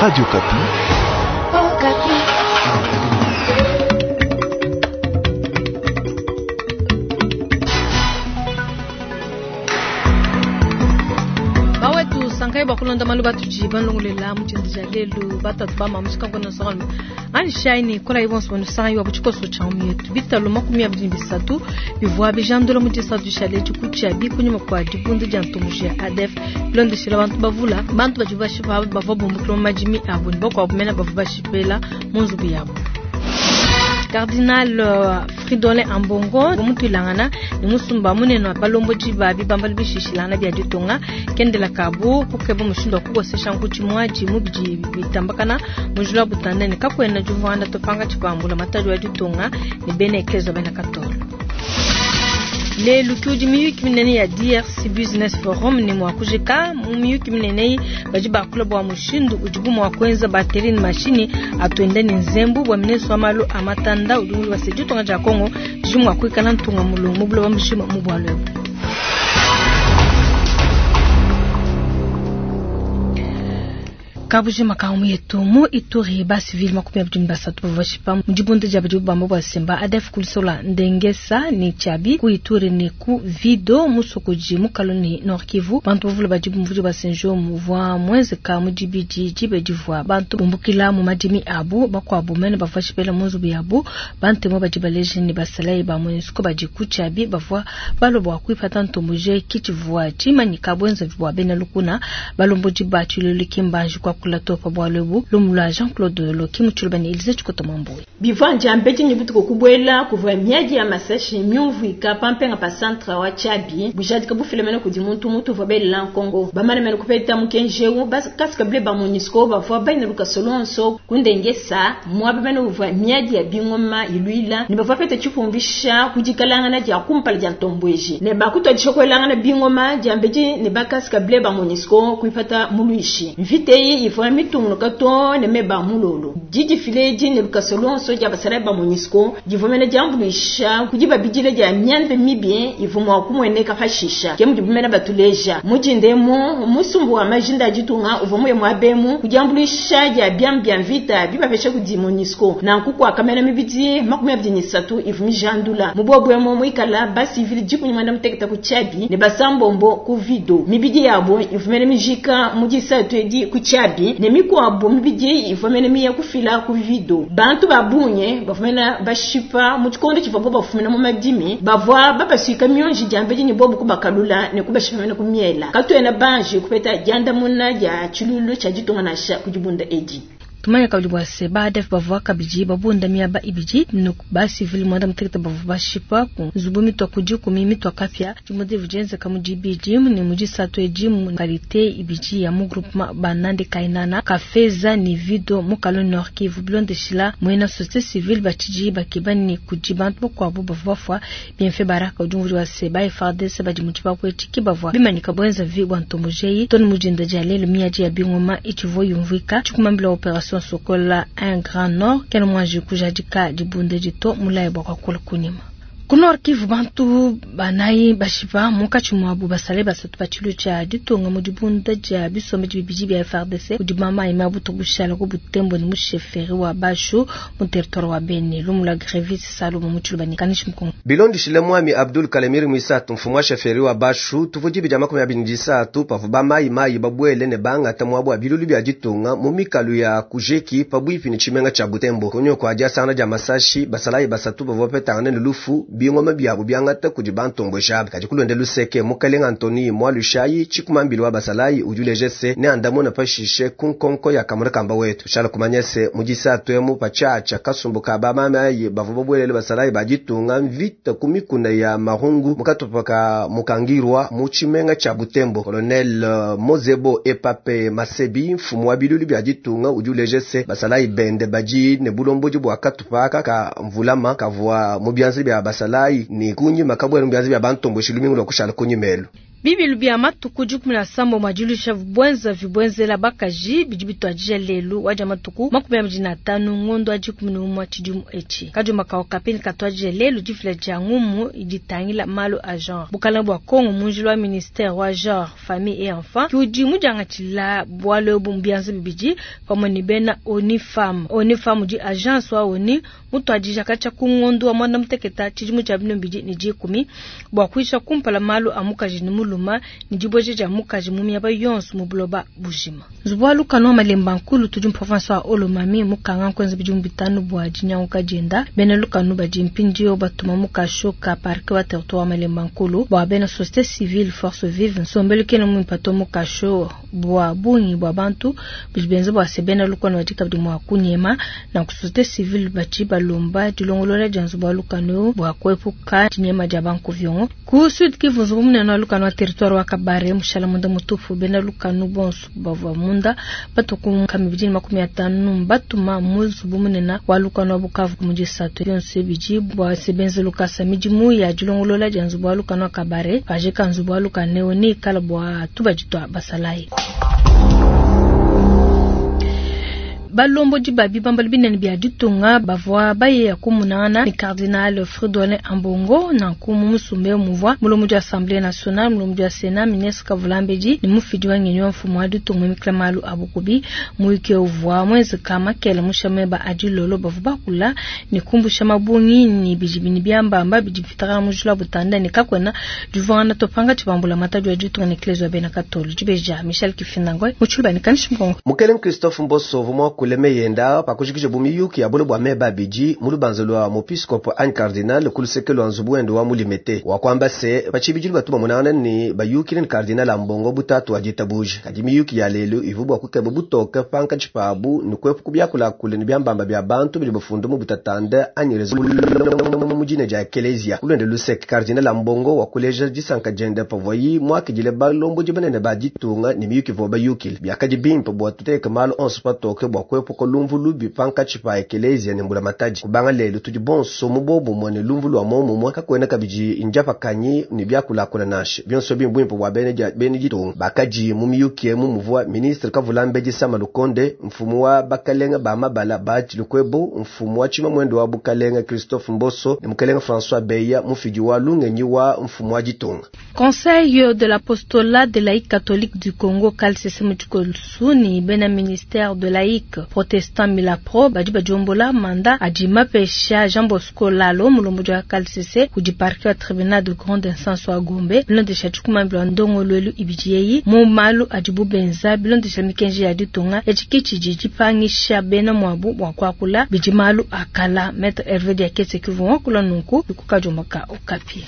Radio Okapi. Okapi. Bawetu sankai bakulonda malu batuji banlongolela mutshindu dia lelu batatu bama mushikango na nsongalume anyi shaini kola ibonso banu sangai wa butshikoso tshia mietu bitalo 23 bivua bijandula mu disatu dishale dikutshia bikunyima kua dibundu dia ntombokela ya ADF bilondeshela bantu bavula bantu badi bashipa bavua bumbukila mu madimi abu ne bakuabu mena bavua bashipela mu nzubu yabu. Cardinal Fridolin Ambongo mutuilangana ne musumba munene wa balombodi ba bibambalu bishishilangana bia ditunga kendela kabu kukeba mushindu wa kukosesha nkuti muadi mu bidi bitambakana mujula butanda ne kakwena juvanda topanga tshipambula matadi wa ditunga ne bena eklezia bena katolo. Lelu kiudi miyuki minene ya DRC Business Forum ne mua kujika mu miyuki minene iyi badi bakula bua mushindu udibu mua kuenza bateri ne mashini atuenda ne nzembu bua ministre wa malu a matanda udi mu wase ditunga dia Congo didi mua kuikala ntunga mulongo mu buloba mujima mu bualu ebu. Kabujima ka mu yetu mu Ituri ba civil 23 bavua bashipa mu dibunda dia badi bamba bua semba ADF kulisola ndengesa ne Tchabi ku Ituri ne ku Vido mu Sokoji mu Kaloni Nord Kivu bantu bavula badi bumvudi ba Senjo muvua mwenzeka mu dibidi dibe divua bantu bumbukila mu madimi abu bakuabu mene bavua bashipela mu nzubu yabu bantemo badi baleje ne basalayi ba MONUSCO badi ku Tchabi bavua baloba kuipata ntombokela kitshivua tshimanyika bwenza bua bena lukuna balombodi ba tshilulu kimbanji kwa kula topa bwalu ebu lumu lwa Jean-Claude Loki mu tshiluba ne Elise Tshikota Mwamboyi. Bivua mbeti ne butuku kubwela kuvua miadi ya masashi myumvuika pampenga pa centre wa Tchabi bujadika bufilemene kudi muntu mutu uvua belela Nkongo bamane mene kupeta mukenji bakasika bile ba MONUSCO bavua baina lukaso lonso kundengesa muaba mene uvua miadi ya bingoma iluila ne bavua peta tshipumvisha kudikalangana dia kumpala dia ntombweji ne bakutwadisha kuelangana bingoma dia mbeti ne bakasika bile ba MONUSCO kuipata muluishi mvita eyi ivua mitungunuka to ne meba mulolo didifile di ne lukaso lonso dia basalayi ba MONUSCO divua mene diambuluisha kudi babidile dia mianda mibi ivua mua kumueneka pashisha ke mudi bumene batuleja mudindemu musumbu wa majinda a ditunga uvua muye muabemu kudiambuluisha dia biamu bia mvita bibapesha kudi MONUSCO nanku kuakamena mibidi 23 ivua mijandula mubobwemo muikala basivili 16 ku Tchabi ne basambombo ku Vido mibidi yabo ivua mene mijika mu disatu edi ku Tchabi ne mikuabu mibidi ivua mene miya kufila ku Vido bantu babunye bavua mene bashipa mu tshikondo tshivua bo bafumina mu madimi bavua babasuika mionji diambedi ne bobu kubakalula ne kubashipa mene ku miela katuena banji kupeta diandamuna dia tshilulu tshia ditunga nansha ku dibunda edi. Tumanya kabidi bua se ba ADF bavua kabidi babunda miaba ibidi nuku ba civil 16 bavua bashipa ku nzubu mitua ku dikumi mitua kapia dibunda divua dienzeka mu dibidi ne mu disatu edi mu kalite ibidi ya mu groupement Banande Kainana Kafeza ne Vido mu Kaloni Nord Kivu bilondeshila muena société civile batshidi bakeba ne kudi bantu bakuabu bavua bafua Bienfait Baraka udi umvua se ba FARDC badi mu tshipapu etshi ki bavua bimanyika bwenza vi bua ntombokela toni mu dinda dia lelu miadi ya bingoma itshivua yumvuika tshikumambila opération Sokola 1 Grand Nord kena mwanji kujadika dibunda dito mulayi bua kuakula kunyima. Ku Nord Kivu bantu banayi bashipa munkatshi muabu basale basatu ba tshilu tshia ditunga mu dibunda dia bisombe bibidi bia FARDC kudi mamayi mabutu bushala ku Butembo ne mu chefferie wa Bashu mu territoire wa Beni lumu lwa Grevis Salomo mu tshiluba ne Kanishi Mukongo. Bilondeshile mwami Abdul Kalemiri Mwisatu mfumu wa chefferie wa Bashu tuvua dibi dia 23 pavua bamayi mayi babwele ne bangata muabu wa bilulu bia ditunga mu mikalu ya Kujeki pabuipi ne tshimenga tshia Butembo kunyima kua diasangana dia masashi basalayi basatu bavua bapetangana ne lufu bingoma biabu biangata kudi bantomboja kadi kulonde luseke mukalenga Antoni Mwalushayi tshikumambili wa basalayi udi uleja se ne andamuna pashishe ku nkonko ya kamuna kamba wetu shala kumanya se mu disatu emu patshiatshia kasumbu ka bamamayi bavua babwelele basalayi ba ditunga mvita ku mikuna ya Marungu mukatupa ka mukangirwa mu tshimenga tshia Butembo. Colonel Mozebo Epape Masebi mfumu wa bilulu bia ditunga udi uleja se basalayi bende badi ne bulombodi bua katupa ka mvulama kavua mu bianza bia basalayi ni kunyima kabwela mu bianza bia bantomboshi lumingu lwa kushala kunyimelu. Bibilu bia matuku 17 a diluisha buenzavi buenzela bakaji bidi bituadija lelu wa dia matuku 25 ngondo wa 11 tshidimu etshi. Kadiomba ka Okapi katuadija lelu difila dia ngumu idi itangila malu a genre. Bukalenge bua Kongo mu njila wa ministere wa genre, famille et enfant ke udi mudiangatshila bualu ebu mu bianza bibidi pamue ne bena ONU Femmes. ONU Femmes udi agence wa ONU mutuadija katshia ku ngondo wa 16 tshidimu tshia 2010 bua kuyisha kumpala malu a mukaji ne mulume ne dibueja dia mukaji mu miaba yonso mu buloba bujima. Nzubu wa lukanu wa Malemba Nkulu tudi mu province wa Haut-Lomami mukanga nkuenza bidimu 5 bua dinyanguka dienda. Bena lukanu badi mpindieu batuma mu kasho ka parquet wa territoire wa Malemba Nkulu bua bena société civile force vive nsombelu kena muimpe to mu kasho bua bungi bua bantu bidi benza bua se bena lukanu badi kabidi mua kunyema. Nanku société civile badi balomba dilongolola dia nzubu wa lukanu bua kuepuka dinyema dia bankuviongo. Ku Sud Kivu, nzubu munene wa lukanu wa territoire wa Kabare mushala munda mutupu. Bena lukanu bonso bavua munda batuku 250 batuma mu nzubu munene wa lukanu wa Bukavu mu disatu yonso bidi bua se benze lukasa midimu ya dilongolola dia nzubu wa lukanu wa Kabare pajika nzubu wa lukanu ne ikala bua tubadi tua basalayi. Balombodi ba bibambalu binene bia ditunga bavua baye kumunangana ne Cardinal Fridolin Ambongo nanku mu musumba muvua mulombodi wa Assemblée nationale, mulombodi wa Sénat, ministre Kavulambedi ne mufidi wa ngenyi wa mfumu wa ditunga mikila malu a bukubi. Muyuki uvua mwenzeka makele mushameba adilolo bavua bakula ne kumbusha mabungi ne bidi ne biambamba bidi bifitaka mujula butanda ne kakwena divana topanga tshibambula matadi wa ditunga ne Eklezia wa bena Katolo. Dibeja Michel Kifinangwe muchulba ne Kanishimkongo. Mukelenge Christophe Mboso vumwa kuleme yenda pakujikija bumiyuki ya bolo bwa meba bidi mu lubanza lwa muepiskopo anyi cardinal ku luseke lwa nzubu wende wa mulimete wakwamba se pachibidilo batu bamonana ni bayukile ni cardinal Ambongo butatu wa ditabuja kadi miyuki ya lelu ivu bwa kukeba butoke pankatshi pabu ni kwepuka byakulakula ni byambamba bya bantu bidi bafunda mu butatanda anyi mujine dia eklezia kulwende luseke cardinal Ambongo wakuleja disanka diende pavoyi mwakidile balombodi banene ba ditunga ni miyuki vo bayukile byakadi bimpe bwa tuteke malu onso patoke bwa kwepuka lumvu lubi pankatshi pa eklezia ne mbula matadi kubanga lelu tudi bonso mu bobumwe ne lumvu lwa momumwe kakwena kabidi injapakanyi ni byakulakula nashe byonso bimbwimpe bwa bene ditunga bakaji mu miyuki emu muvua ministre Kavulambedi Sama Lukonde mfumu wa bakalenga ba mabala ba Lukwebo mfumu wa chima mwendo wa bukalenga Christophe Mboso ne mukalenga François Beya mufidi wa lungenyi wa mfumu wa ditunga. Conseil de l'apostolat de laïque catholique du Congo KLCC Mutukolsu ni bena ministère de laïque protestant Milapro badi badiombola manda adi mapesha Jean Bosco Lalo mulombo wa KLCC kudi parquet wa tribunal de grande instance wa Gombe bilondesha tshikumambila ndongoluelu ibidi yeyi mu malu adi bubenza bilondesha mikenji ya ditunga etshi dipangisha bena mwabu bua kuakula bidi malu akala. Maître Hervé Diakese kivua kula nunku kukadiomba Okapi.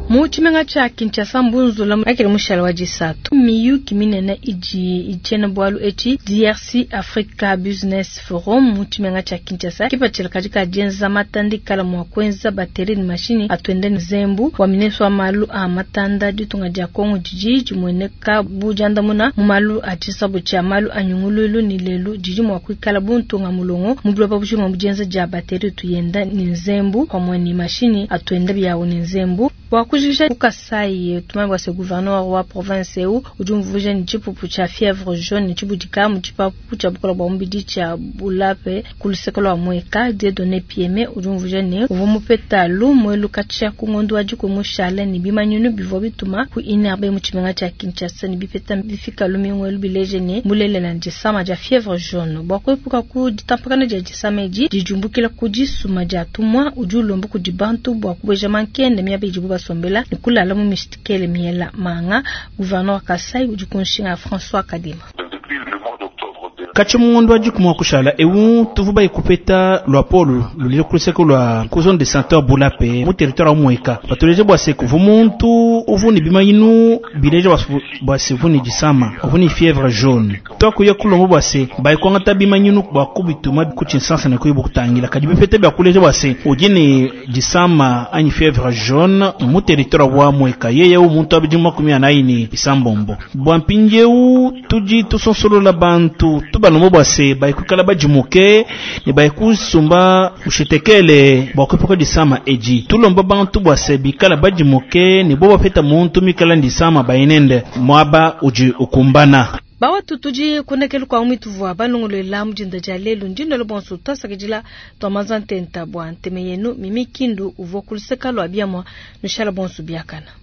Mu tshimenga tsha Kinshasa mbunzula akele mushala wa disatu miyuki minene idi itshena bualu etshi DRC Africa Business Forum mu tshimenga tsha Kinshasa kipatshila katika dienza matanda ikala mua kuenza bateri ne mashini atuende ne zembu wa ministre wa malu a matanda ditunga dia Kongo didi dimueneka bu diandamuna mu malu a tshisabu tshia malu a nyungululu ne lelu didi mua kuikala buntunga mulongo mu buloba bujima mu dienza dia bateri tuyenda ne zembu pamue ne mashini atuenda biawo ne zembu. Bua kujikija ku Kasai tumanye se gouverneur wa province eu udi umvuija ne tshipupu tshia fièvre jaune tshibudika mu tshipapu tshia bukola bua mubidi tshia Bulape ku luseke lua Mweka. Dieudonné Pieme udi umvuija ne uvua mupeta lumue katshia ku ngondo wa dikumi mushale ne bimanyinu bivua bituma ku INRB mu tshimenga tshia Kinshasa ne bipeta bifika lumingu bileje ne mulelela disama dia fièvre jaune. Bua kuepuka ku ditampakana dia disama edi dijumbukila ku disuma dia tumwa udi ulomba kudi bantu bua kubeja mankende miaba idibu basombela ne kulala mu mistikele miela manga. Gouverneur Kasai udi kunshinga François Kadima. Katshi mungondo wa dikumi wa kushala ewu tuvu baikupeta lwa polo lulile kuluseke lwa ku zone de santé wa Bulape mu territoire wa Mweka batuleje bua se kuvu muntu uvu ni bimayinu bileje bua se vu ni disama uvu ni fièvre jaune twakuya kulombo bua se baikwangata bimanyinu bua kubituma ku tshinsansa ne kuyi bukutangila kadi bipete bia kuleja bua se udi ni disama anyi fièvre jaune mu territoire wa Mweka yeye u muntu abidi 46 bisambombo bua mpindiewu tudi tusonsolola bantu. Tubalomba bua se baye kuikala badimuke ne baye kusumba mushetekele bua kuepuka disama edi. Tulomba bantu bua se bikala badimuke ne bo bapeta muntu mikala ndisama bayinende muaba udi ukumbana. Bawatu tudi kunekelu kwa mwituvua balongolola mudinda dia lelu ndinelo bonso twasakidila twamanza ntenta bua nteme yenu mimi kindu uvua kuluseka lua biamwa nushala bonso biakana.